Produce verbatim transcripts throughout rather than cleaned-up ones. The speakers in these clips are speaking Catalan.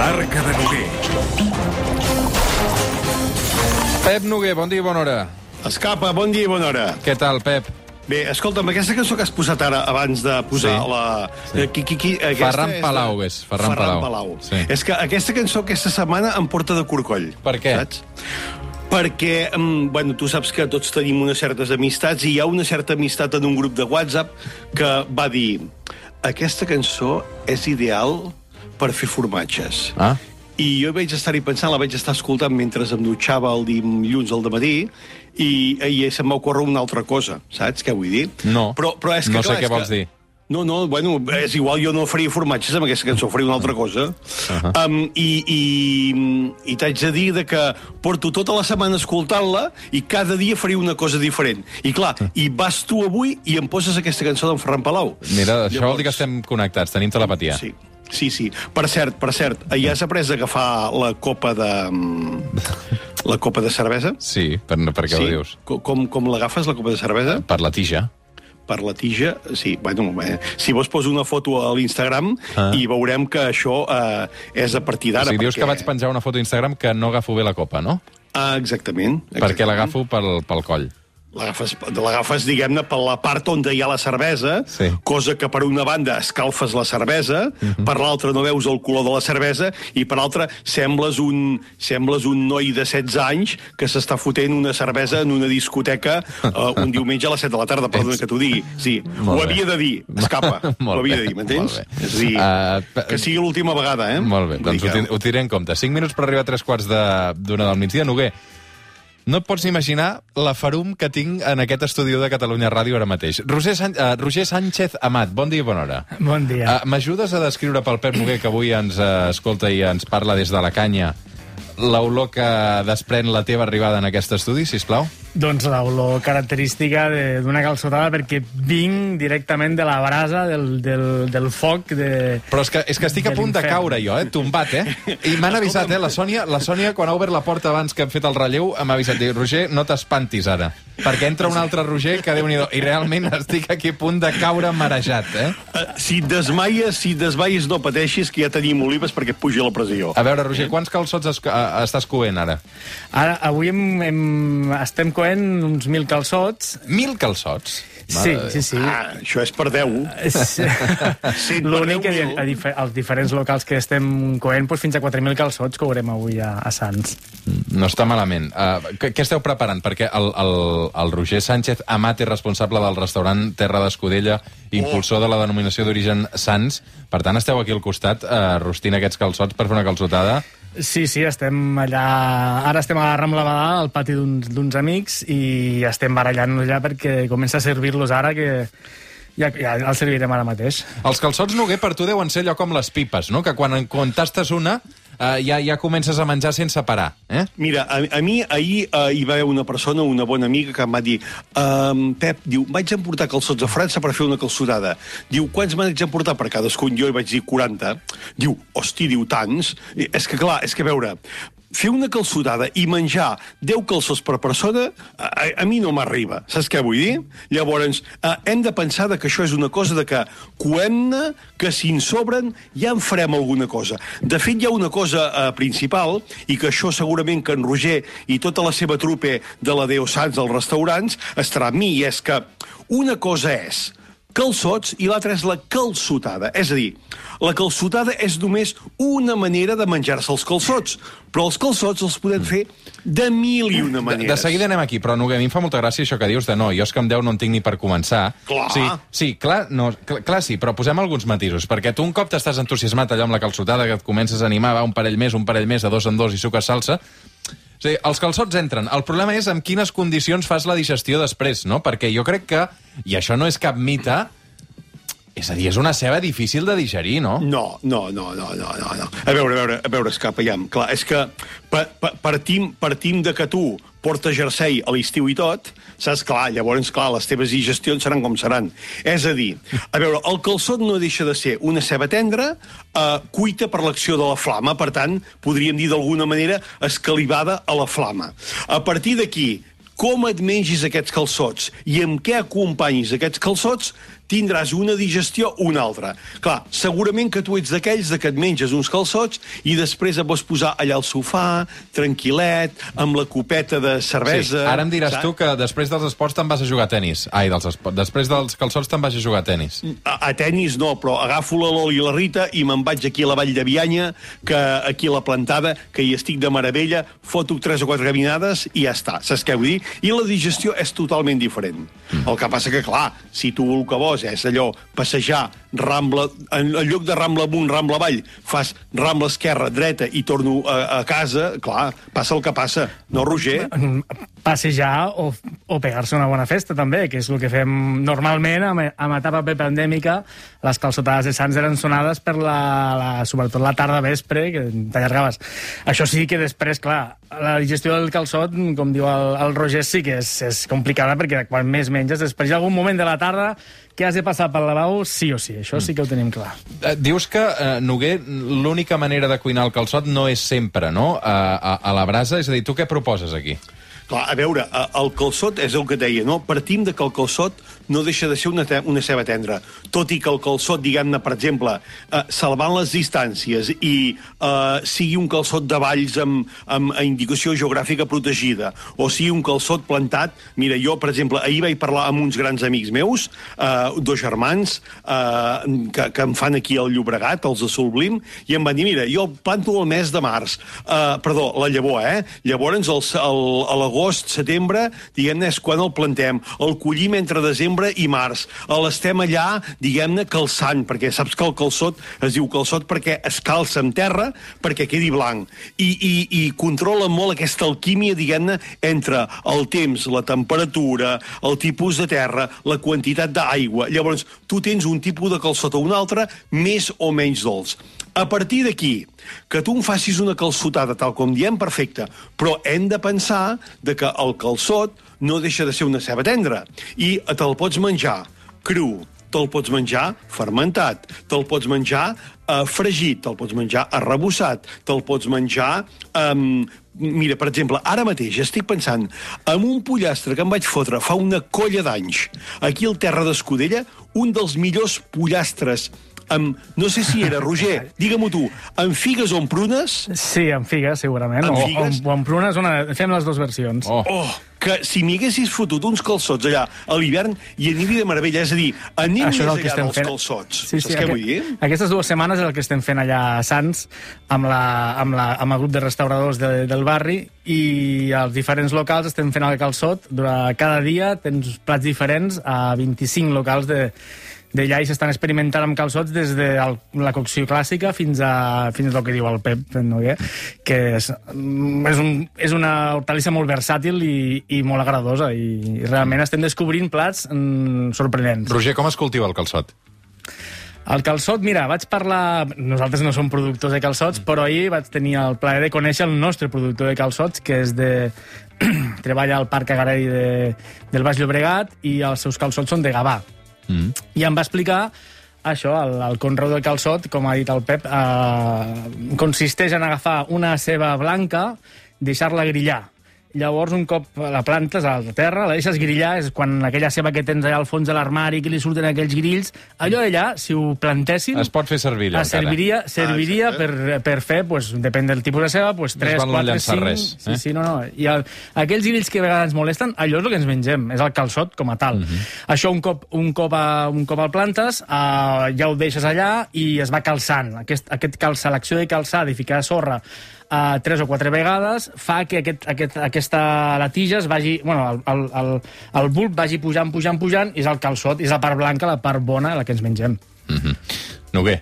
Arca de Noguer. Pep Noguer, bon dia i bona hora. Escapa, bon dia i bona hora. Què tal, Pep? Bé, escolta'm, aquesta cançó que has posat ara, abans de posar Sí. la... Sí. Qui, qui, qui, Ferran és de- Palau, és. Ferran Palau. Palau. Sí. És que aquesta cançó aquesta setmana em porta de corcoll. Per què? Saps? Perquè, mm, bueno, tu saps que tots tenim unes certes amistats i hi ha una certa amistat en un grup de WhatsApp que va dir aquesta cançó és ideal per fer formatges. Ah. I jo vaig estar-hi pensant, la vaig estar escoltant mentre em dutxava el dilluns al dematí i, i se'm va ocórrer una altra cosa, saps què vull dir? No, però, però és que, no sé clar, què és vols que... dir. No, no, bueno, és igual, jo no faria formatges amb aquesta cançó, faria una altra cosa. Uh -huh. um, I i, i t'haig de dir de que porto tota la setmana escoltant-la i cada dia faria una cosa diferent. I clar, uh -huh. i vas tu avui i em poses aquesta cançó d'en Ferran Palau. Mira, això Llavors... vol dir que estem connectats, tenim telepatia. Sí. Sí, sí. Per cert, per cert, ja has après d'agafar la copa de... la copa de cervesa? Sí, per, per què sí? ho dius? Com, com l'agafes, la copa de cervesa? Per la tija. Per la tija, sí. Bueno, eh, si vols poso una foto a l'Instagram ah. i veurem que això eh, és a partir d'ara. O sigui, dius perquè... que vaig penjar una foto a Instagram que no agafo bé la copa, no? Ah, exactament. exactament. Perquè l'agafo pel, pel coll. L'agafes, diguem-ne, per la part on hi ha la cervesa, sí. cosa que per una banda escalfes la cervesa, uh -huh. per l'altra no veus el color de la cervesa, i per l'altra sembles un, sembles un noi de setze anys que s'està fotent una cervesa en una discoteca uh, un diumenge a les set de la tarda, perdona Ets... que t'ho digui. Sí, Molt ho bé. havia de dir, escapa. Ho havia de dir, m'entens? És a dir, uh, que sigui l'última vegada, eh? Molt bé, doncs ho, ho tiré en compte. Cinc minuts per arribar a tres quarts d'una del migdia. Noguer, no et pots imaginar la farum que tinc en aquest estudi de Catalunya Ràdio ara mateix. Roger, San uh, Roger Sánchez Amat, bon dia i bona hora. Bon dia. Uh, M'ajudes a descriure pel Pep Noguer, que avui ens uh, escolta i ens parla des de la canya, l'olor que desprèn la teva arribada en aquest estudi, sisplau? Doncs l'olor característica d'una calçotada, perquè vinc directament de la brasa, del, del, del foc de... Però és que, és que estic a punt de caure jo, eh? Tombat, eh? I m'han avisat, eh? La Sònia, la Sònia, quan ha obert la porta abans que hem fet el relleu, m'ha avisat, diu, Roger, no t'espantis ara, perquè entra un altre Roger que déu-n'hi-do. I realment estic aquí a punt de caure marejat, eh? Uh, si et desmaies, si et desmaies, no pateixis, que ja tenim olives perquè et pugi la pressió. A veure, Roger, quants calçots es, a, estàs coent ara? Ara, avui hem, hem, estem coent uns mil calçots. Mil calçots? Sí, sí, sí. Ah, això és per deu. Sí. L'únic que a, a, als diferents locals que estem coent, doncs fins a quatre mil calçots courem avui a, a Sants. No està malament. Uh, què, què esteu preparant? Perquè el, el, el Roger Sánchez Amat és responsable del restaurant Terra d'Escudella, impulsor de la denominació d'origen Sants. Per tant, esteu aquí al costat uh, rostint aquests calçots per fer una calçotada. Sí, sí, estem allà... Ara estem a la Rambla Badà, al pati d'uns amics, i estem barallant-nos ja perquè comença a servir-los ara, que ja, ja el servirem ara mateix. Els calçots, Noguer, per tu deuen ser allò com les pipes, no? Que quan, quan tastes una eh, ja, ja comences a menjar sense parar, eh? Mira, a, a mi ahir uh, hi va haver una persona, una bona amiga, que em va dir um, Pep, diu, vaig emportar calçots a França per fer una calçotada. Diu, quants m'haig emportar per cadascun? Jo hi vaig dir quaranta. Diu, hosti, diu, tants? I, és que clar, és que a veure, fer una calçotada i menjar deu calçots per persona, a, a mi no m'arriba. Saps què vull dir? Llavors, eh, hem de pensar que això és una cosa de que coem-ne, que si en sobren ja en farem alguna cosa. De fet, hi ha una cosa eh, principal, i que això segurament que en Roger i tota la seva trupe de la Déu Sants dels restaurants estarà amb mi, i és que una cosa és calçots i l'altra és la calçotada. És a dir, la calçotada és només una manera de menjar-se els calçots, però els calçots els podem fer de mil i una maneres. De, de seguida anem aquí, però Noguer, a mi em fa molta gràcia això que dius de no, jo és que amb deu no en tinc ni per començar. Clar. Sí, sí, clar, no, clar, clar sí, però posem alguns matisos, perquè tu un cop t'estàs entusiasmat allò amb la calçotada, que et comences a animar, va un parell més, un parell més, de dos en dos i suques salsa. O sigui, els calçots entren. El problema és en quines condicions fas la digestió després, no? Perquè jo crec que, i això no és cap mite, és a dir, és una ceba difícil de digerir, no? No, no, no, no, no, no, no. A veure, a veure, a veure, escapa, ja. Clar, és que pa, pa, partim, partim de que tu portes jersei a l'estiu i tot, saps? Clar, llavors, clar, les teves digestions seran com seran. És a dir, a veure, el calçot no deixa de ser una ceba tendra, eh, cuita per l'acció de la flama, per tant, podríem dir d'alguna manera escalivada a la flama. A partir d'aquí, com et mengis aquests calçots i amb què acompanyis aquests calçots, tindràs una digestió o una altra. Clar, segurament que tu ets d'aquells de que et menges uns calçots i després et vols posar allà al sofà, tranquil·let, amb la copeta de cervesa... Sí, ara em diràs saps? tu que després dels esports te'n vas a jugar a tenis. Ai, dels esports. Després dels calçots te'n vas a jugar a tenis. A, a tenis no, però agafo la Loli i la Rita i me'n vaig aquí a la Vall de Bianya, que aquí a la Plantada, que hi estic de meravella, foto tres o quatre caminades i ja està, saps què vull dir? I la digestió és totalment diferent. Mm. El que passa que, clar, si tu el que vols és allò, passejar, rambla, en, en lloc de rambla amunt, rambla avall, fas rambla esquerra, dreta i torno a, a casa, clar, passa el que passa. No, Roger? Passejar o, o pegar-se una bona festa, també, que és el que fem normalment amb, amb etapa prepandèmica. Les calçotades de Sants eren sonades per la, la, sobretot la tarda vespre, que t'allargaves. Això sí que després, clar, la digestió del calçot, com diu el, el Roger, sí que és, és complicada, perquè quan més menges, després hi ha algun moment de la tarda que has de passar pel lavabo sí o sí. Això sí que ho tenim clar. Eh, dius que, eh, Noguer, l'única manera de cuinar el calçot no és sempre, no?, a, a, a la brasa. És a dir, tu què proposes aquí? Clar, a veure, el calçot és el que deia, no? Partim de que el calçot no deixa de ser una, una ceba tendra. Tot i que el calçot, diguem-ne, per exemple, eh, salvant les distàncies i eh, sigui un calçot de valls amb, amb indicació geogràfica protegida, o sigui un calçot plantat... Mira, jo, per exemple, ahir vaig parlar amb uns grans amics meus, eh, dos germans, eh, que, que em fan aquí al Llobregat, els de Solblim, i em van dir, mira, jo planto el mes de març, eh, perdó, la llavor, eh? Llavors, el, el, a l'agost, setembre, diguem-ne, és quan el plantem. El collim entre desembre i març. L'estem allà, diguem-ne, calçant, perquè saps que el calçot es diu calçot perquè es calça en terra perquè quedi blanc. I, i, i controla molt aquesta alquímia, diguem-ne, entre el temps, la temperatura, el tipus de terra, la quantitat d'aigua. Llavors, tu tens un tipus de calçot o un altre, més o menys dolç. A partir d'aquí, que tu em facis una calçotada, tal com diem, perfecte, però hem de pensar de que el calçot no deixa de ser una ceba tendra i te'l pots menjar cru, te'l pots menjar fermentat, te'l pots menjar eh, fregit, te'l pots menjar arrebossat, te'l pots menjar... Eh, mira, per exemple, ara mateix estic pensant en un pollastre que em vaig fotre fa una colla d'anys aquí al Terra d'Escudella, un dels millors pollastres amb, no sé si era, Roger, digue-m'ho tu, amb figues o amb prunes? Sí, amb figues, segurament. Amb o, figues? O, o amb prunes, una... fem les dues versions. Oh. Oh, que si m'hi haguessis fotut uns calçots allà a l'hivern i aniria de meravella, és a dir, anem Això és el més que allà estem dels fent. calçots. Sí, sí, Saps què aquest, vull dir? Aquestes dues setmanes és el que estem fent allà a Sants amb, la, amb, la, amb el grup de restauradors de, del barri i als diferents locals estem fent el calçot. Durant cada dia tens plats diferents a vint-i-cinc locals de d'allà i s'estan experimentant amb calçots des de el, la cocció clàssica fins a fins al que diu el Pep, no? Que és, és, un, és una hortalissa molt versàtil i, i molt agradadosa i realment estem descobrint plats mm, sorprenents. Roger, com es cultiva el calçot? El calçot, mira, vaig parlar... Nosaltres no som productors de calçots, però ahir vaig tenir el plaer de conèixer el nostre productor de calçots, que és de... treballa al Parc Agrari de, del Baix Llobregat i els seus calçots són de Gavà. Mm. I em va explicar això, el, el conreu del calçot, com ha dit el Pep, eh, consisteix en agafar una ceba blanca, deixar-la grillar. Llavors, un cop la plantes a la terra, la deixes grillar, és quan aquella ceba que tens allà al fons de l'armari, que li surten aquells grills, allò allà, si ho plantessin... Es pot fer servir allò, es serviria, serviria ah, per, per fer, pues, depèn del tipus de ceba, pues, tres, quatre, cinc... Res, eh? Sí, sí, no, no. I el, aquells grills que a vegades ens molesten, allò és el que ens mengem, és el calçot com a tal. Uh -huh. Això un cop, un cop, a, un cop el plantes, uh, ja ho deixes allà i es va calçant. Aquest, aquest calçar, l'acció de calçar, de ficar sorra, Uh, tres o quatre vegades, fa que aquest, aquest, aquesta la tija es vagi... Bueno, el, el, el, el bulb vagi pujant, pujant, pujant, i és el calçot, és la part blanca, la part bona, la que ens mengem. Mm-hmm. Noguer.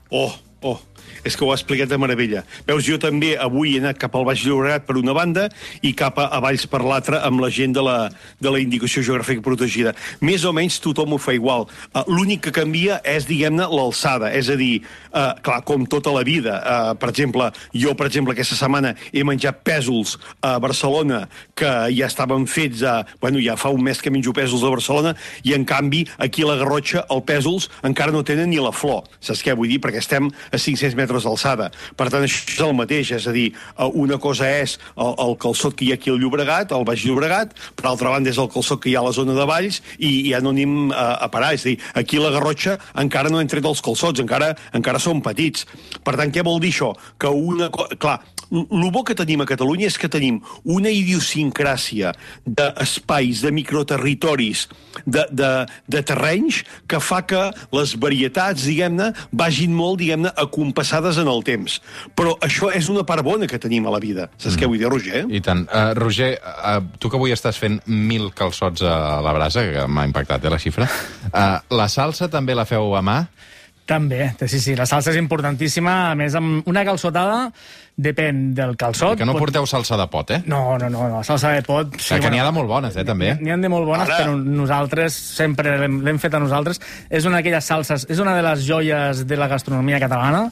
Oh, oh, és que ho ha explicat de meravella. Veus, jo també avui he anat cap al Baix Llobregat per una banda i cap a Valls per l'altra amb la gent de la, de la indicació geogràfica protegida. Més o menys tothom ho fa igual. Uh, L'únic que canvia és, diguem-ne, l'alçada. És a dir, uh, clar, com tota la vida. Uh, per exemple, jo, per exemple, aquesta setmana he menjat pèsols a Barcelona que ja estaven fets a... Bueno, ja fa un mes que menjo pèsols a Barcelona i, en canvi, aquí a la Garrotxa, els pèsols encara no tenen ni la flor. Saps què vull dir? Perquè estem a cinc-cents metres d'alçada. Per tant, això és el mateix, és a dir, una cosa és el, el calçot que hi ha aquí al Llobregat, al Baix Llobregat, per altra banda és el calçot que hi ha a la zona de Valls, i ja no anem a, a parar. És a dir, aquí a la Garrotxa encara no hem tret els calçots, encara, encara són petits. Per tant, què vol dir això? Que una... Clar, el bo que tenim a Catalunya és que tenim una idiosincràsia d'espais, de microterritoris, de, de, de terrenys, que fa que les varietats, diguem-ne, vagin molt, diguem-ne, acompassades en el temps. Però això és una part bona que tenim a la vida. Saps mm. què vull dir, Roger? I tant. Uh, Roger, uh, tu que avui estàs fent mil calçots a la brasa, que m'ha impactat, eh, la xifra, uh, la salsa també la feu a mà? També, sí, sí, la salsa és importantíssima. A més, amb una calçotada depèn del calçot. Que no porteu salsa de pot, eh? No, no, no, no. Salsa de pot... Sí, que bueno, n'hi ha de molt bones, eh, també. N'hi ha de molt bones, Ara... però nosaltres sempre l'hem fet a nosaltres. És una d'aquelles salses, és una de les joies de la gastronomia catalana,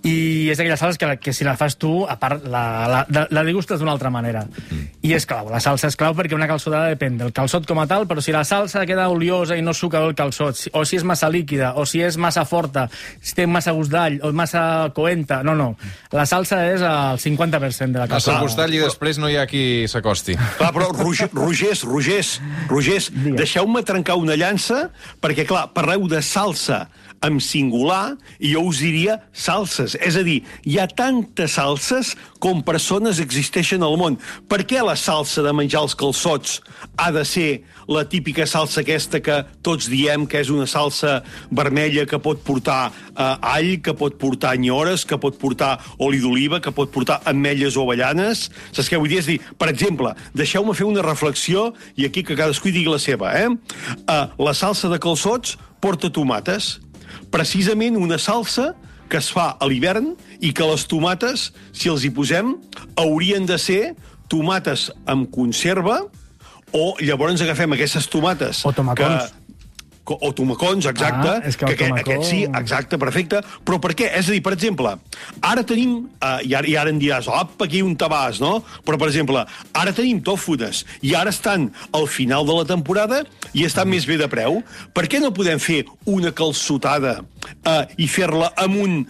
i és d'aquelles salses que, que si la fas tu, a part, la, la, la degustes d'una altra manera. Mm. I és clau, la salsa és clau perquè una calçotada depèn del calçot com a tal, però si la salsa queda oliosa i no suca el calçot, o si és massa líquida, o si és massa forta, si té massa gust d'all, o massa coenta... No, no. La salsa és el cinquanta per cent de la calçotada. Massa gust d'all i després no hi ha qui s'acosti. Clar, però Roger, Rogers, Rogers, Rogers, deixeu-me trencar una llança, perquè, clar, parleu de salsa en singular, i jo us diria salses. És a dir, hi ha tantes salses com persones existeixen al món. Per què la salsa de menjar els calçots ha de ser la típica salsa aquesta que tots diem que és una salsa vermella que pot portar eh, all, que pot portar nyores, que pot portar oli d'oliva, que pot portar ametlles o avellanes? Saps què vull dir? És dir, per exemple, deixeu-me fer una reflexió, i aquí que cadascú digui la seva, eh? Eh, la salsa de calçots porta tomates. Precisament una salsa que es fa a l'hivern i que les tomates, si els hi posem, haurien de ser tomates amb conserva, o llavors agafem aquestes tomates... O tomacons. Que, o tomacons, exacte. Ah, és que el que tomacó... aquest sí, exacte, perfecte. Però per què? És a dir, per exemple, ara tenim... Uh, i, ara, I ara em diràs, op, aquí un tabàs, no? Però, per exemple, ara tenim tòfones, i ara estan al final de la temporada i estan mm. més bé de preu. Per què no podem fer una calçotada uh, i fer-la amb un,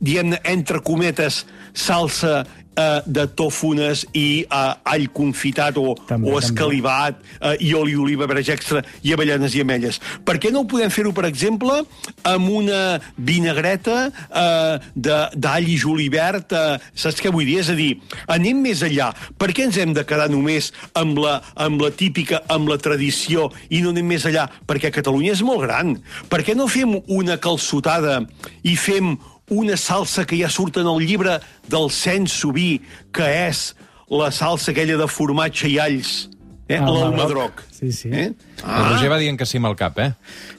diguem-ne, entre cometes, salsa uh, de tòfones i uh, all confitat o, també, o escalivat uh, i oli d'oliva, verge extra i avellanes i ametlles. Per què no ho podem fer-ho, per exemple, amb una vinagreta uh, d'all i julivert? Uh, saps què vull dir? És a dir, anem més enllà. Per què ens hem de quedar només amb la, amb la típica, amb la tradició, i no anem més enllà? Perquè Catalunya és molt gran. Per què no fem una calçotada i fem una salsa que ja surt en el llibre del cens Subí, que és la salsa aquella de formatge i alls, eh? Ah, l'almadroc. Sí, sí. Eh? Ah. El Roger va dient que sí amb el cap, eh?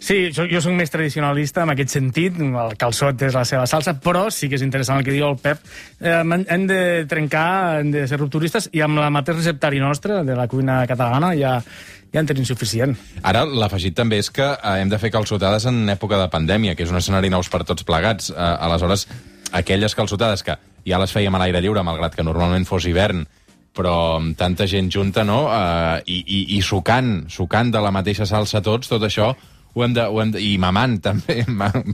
Sí, jo, jo soc més tradicionalista en aquest sentit, el calçot és la seva salsa, però sí que és interessant el que diu el Pep. Eh, hem de trencar, hem de ser rupturistes, i amb la mateix receptari nostre, de la cuina catalana, ja, ja en tenim suficient. Ara, l'afegit també és que eh, hem de fer calçotades en època de pandèmia, que és un escenari nous per tots plegats. Eh, aleshores, aquelles calçotades que ja les fèiem a l'aire lliure, malgrat que normalment fos hivern, però amb tanta gent junta, no? Uh, i, i, i sucant, sucant de la mateixa salsa tots, tot això, ho hem de, ho hem de, i mamant també,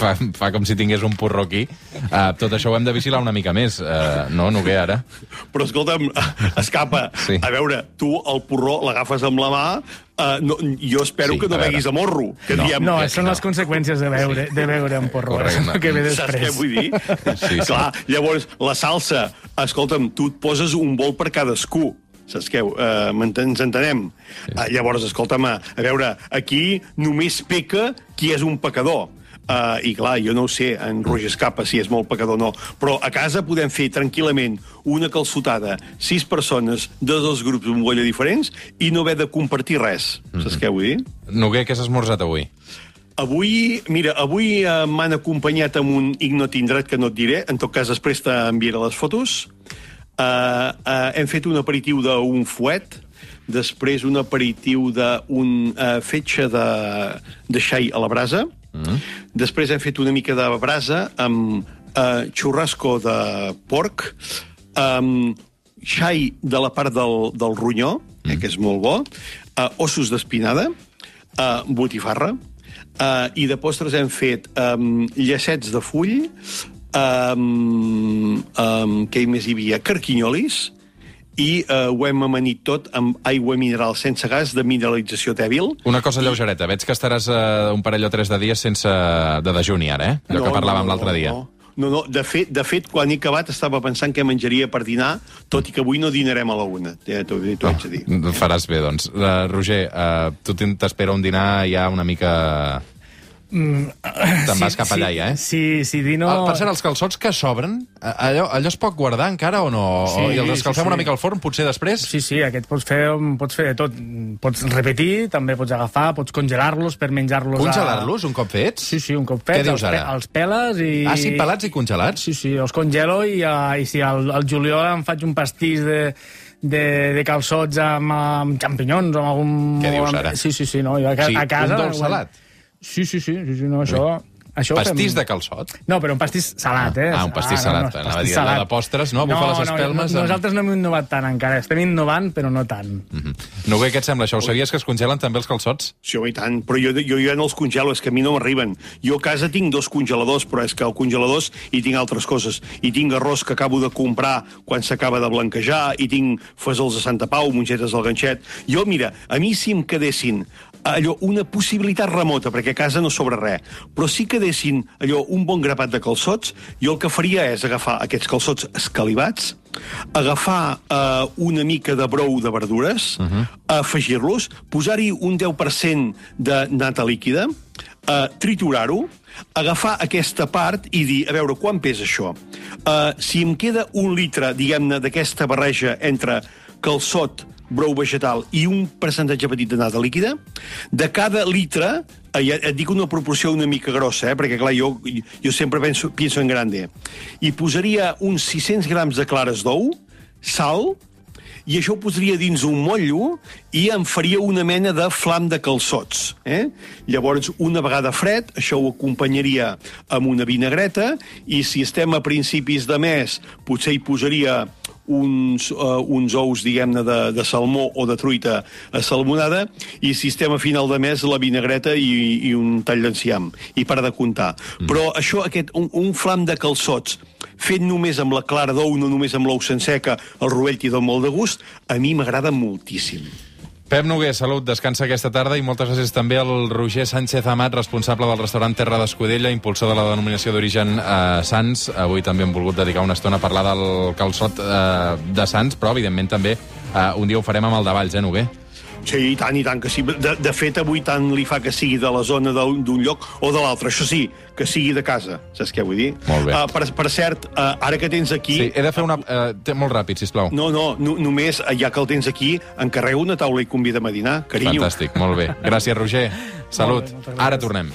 fa, fa com si tingués un porró aquí, uh, tot això ho hem de vigilar una mica més, uh, no, Noguer, ara? Però escolta'm, escapa, sí. A veure, tu el porró l'agafes amb la mà, uh, no, jo espero sí, que no beguis a morro. Que no, diem, no, que, són no. les conseqüències de beure, de beure amb porró, Correcte. que ve després. Saps què vull dir? Sí, sí. Clar, llavors, la salsa, escolta'm, tu et poses un bol per cadascú. Saps què? Uh, ens entenem? Sí. Uh, llavors, escolta'm, a veure, aquí només peca qui és un pecador. Uh, I clar, jo no ho sé, en Roger Escapa, si és molt pecador o no, però a casa podem fer tranquil·lament una calçotada, sis persones de dos grups amb bolla diferents i no haver de compartir res. Mm-hmm. Saps què vull dir? Noguer, què has esmorzat avui? Avui, mira, avui uh, m'han acompanyat amb un ignot indret que no et diré, en tot cas després t'enviaré les fotos. Uh, uh, hem fet un aperitiu d'un fuet, després un aperitiu d'un uh, fetge de, de xai a la brasa, mm. Després hem fet una mica de brasa amb uh, xurrasco de porc, um, xai de la part del, del ronyó, mm. eh, que és molt bo, uh, ossos d'espinada, uh, botifarra, uh, i de postres hem fet um, llacets de full, um, um, què més hi havia? Carquinyolis, i uh, ho hem amanit tot amb aigua mineral sense gas de mineralització dèbil. Una cosa lleugereta, veig que estaràs uh, un parell o tres de dies sense de dejuni ara, eh? Allò no, que parlàvem no, no, l'altre dia. No, no, no. De, fet, de fet, quan he acabat estava pensant què menjaria per dinar, tot i que avui no dinarem a la una. Ja t'ho haig de dir. Oh, faràs bé, doncs. Uh, Roger, uh, tu t'espera un dinar ja una mica... Mm, Te'n vas cap allà, sí, ja, eh? Sí, sí, dino... Ah, per cert, els calçots que sobren, allò, allò es pot guardar encara o no? Sí, o, I els escalfem sí, sí. una mica al forn, potser després? Sí, sí, aquest pots fer, pots fer de tot. Pots repetir, també pots agafar, pots congelar-los per menjar-los... Congelar-los, a... un cop fets? Sí, sí, un cop fets. Què dius els ara? Pe els peles i... Ah, sí, pelats i congelats? Sí, sí, els congelo i, uh, i si al, al juliol em faig un pastís de... De, de calçots amb, amb xampinyons o amb algun... Què dius ara? Sí, sí, sí, no, jo a, ca Sí, a casa... un dolç salat? Sí, sí, sí, sí, sí no, això... Això Pastís fem... de calçot? No, però un pastís salat, eh? Ah, un pastís ah, salat. no, no, Anava a pastís dir, salat. de postres, no? Bufar les espelmes... No, amb... nosaltres no hem innovat tant encara. Estem innovant, però no tant. Mm -hmm. Noguer, què et sembla això? Ho sabies que es congelen també els calçots? Sí, home, i tant, però jo, jo ja no els congelo, és que a mi no m'arriben. Jo a casa tinc dos congeladors, però és que al congeladors hi tinc altres coses. I tinc arròs que acabo de comprar quan s'acaba de blanquejar, i tinc fesols de Santa Pau, mongetes del ganxet. Jo, mira, a mi si em quedessin allò, una possibilitat remota, perquè a casa no sobra res, però si quedessin allò, un bon grapat de calçots, jo el que faria és agafar aquests calçots escalivats, agafar eh, una mica de brou de verdures, uh-huh. afegir-los, posar-hi un deu per cent de nata líquida, eh, triturar-ho, agafar aquesta part i dir, a veure, quan pesa això? Eh, si em queda un litre, diguem-ne, d'aquesta barreja entre calçot, brou vegetal i un percentatge petit de nata líquida, de cada litre, eh, et dic una proporció una mica grossa, eh, perquè clar, jo, jo sempre penso, penso en grande, i posaria uns sis-cents grams de clares d'ou, sal, i això ho posaria dins un motllo i em faria una mena de flam de calçots. Eh? Llavors, una vegada fred, això ho acompanyaria amb una vinagreta, i si estem a principis de mes, potser hi posaria uns, uh, uns ous, diguem-ne, de, de salmó o de truita salmonada, i si estem a final de mes, la vinagreta i, i un tall d'enciam, i para de comptar. Mm. Però això, aquest, un, un flam de calçots, fet només amb la clara d'ou, no només amb l'ou sencer, que el rovell t'hi dona molt de gust, a mi m'agrada moltíssim. Pep Noguer, salut, descansa aquesta tarda, i moltes gràcies també al Roger Sánchez Amat, responsable del restaurant Terra d'Escudella, impulsor de la denominació d'origen eh, Sants. Avui també hem volgut dedicar una estona a parlar del calçot eh, de Sants, però evidentment també eh, un dia ho farem amb el de Valls, eh, Noguer? Sí, i tant, i tant, que sí. De, de fet, avui tant li fa que sigui de la zona d'un lloc o de l'altre. Això sí, que sigui de casa, saps què vull dir? Molt bé. Uh, per, per cert, uh, ara que tens aquí... Sí, he de fer una... Uh, molt ràpid, sisplau. No, no, no, només, ja que el tens aquí, encarrego una taula i convida'm a dinar, carinyo. Fantàstic, molt bé. Gràcies, Roger. Salut. Bé, ara tornem.